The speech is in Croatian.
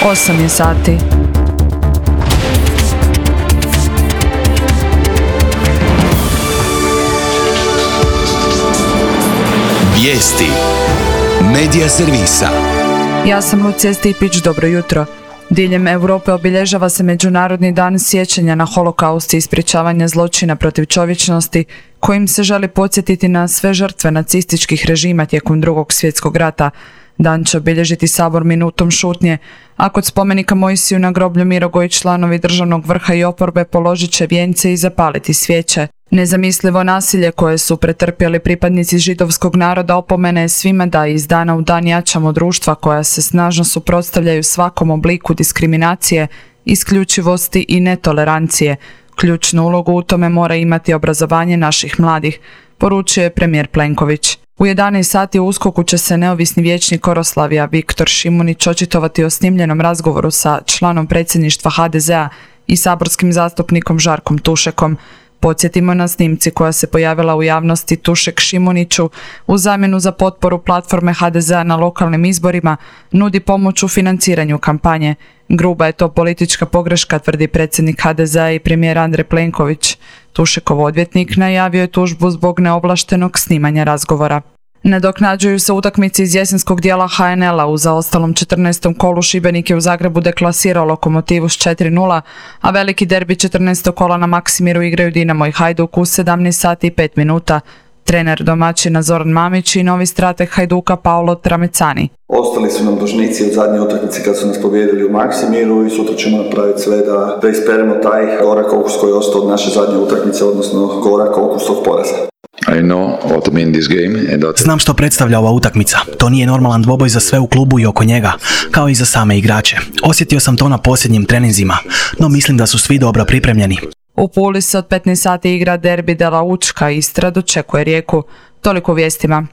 8 je sati. Vijesti Medija servisa. Ja sam Lucija Stipić, dobro jutro. Diljem Europe obilježava se Međunarodni dan sjećanja na holokaust i ispričavanja zločina protiv čovječnosti, kojim se želi podsjetiti na sve žrtve nacističkih režima tijekom Drugog svjetskog rata. Dan će obilježiti Sabor minutom šutnje, a kod spomenika Mojsiju na groblju Mirogoju članovi državnog vrha i oporbe položit će vijence i zapaliti svijeće. Nezamislivo nasilje koje su pretrpjeli pripadnici židovskog naroda opomene je svima da iz dana u dan jačamo društva koja se snažno suprotstavljaju svakom obliku diskriminacije, isključivosti i netolerancije. Ključnu ulogu u tome mora imati obrazovanje naših mladih, poručuje premijer Plenković. U 11 sati u USKOK-u će se neovisni vijećnik Oroslavija Viktor Šimunić očitovati o snimljenom razgovoru sa članom predsjedništva HDZ-a i saborskim zastupnikom Žarkom Tušekom. Podsjetimo, na snimci koja se pojavila u javnosti Tušek Šimuniću u zamjenu za potporu platforme HDZ-a na lokalnim izborima nudi pomoć u financiranju kampanje. Gruba je to politička pogreška, tvrdi predsjednik HDZ-a i premijer Andrej Plenković. Tušekov odvjetnik najavio je tužbu zbog neovlaštenog snimanja razgovora. Nadoknađuju se utakmice iz jesenskog dijela HNL-a. U zaostalom 14. kolu Šibenik je u Zagrebu deklasirao Lokomotivu s 4:0, a veliki derbi 14. kola na Maksimiru igraju Dinamo i Hajduk u 17 sati i 5 minuta. Trener domaćina Zoran Mamić i novi strateg Hajduka Paolo Tramecani. Ostali su nam dužnici od zadnje utakmice kad su nas pobijedili u Maksimiru i sutra ćemo napraviti sve da isperemo taj gorak okus koji je ostao od naše zadnje utakmice, odnosno gorak okus od poraza. Znam što predstavlja ova utakmica. To nije normalan dvoboj za sve u klubu i oko njega, kao i za same igrače. Osjetio sam to na posljednjim treninzima, no mislim da su svi dobro pripremljeni. U Puli se od 15 sati igra derbi de la Učka, Istra dočekuje Rijeku. Toliko u vijestima.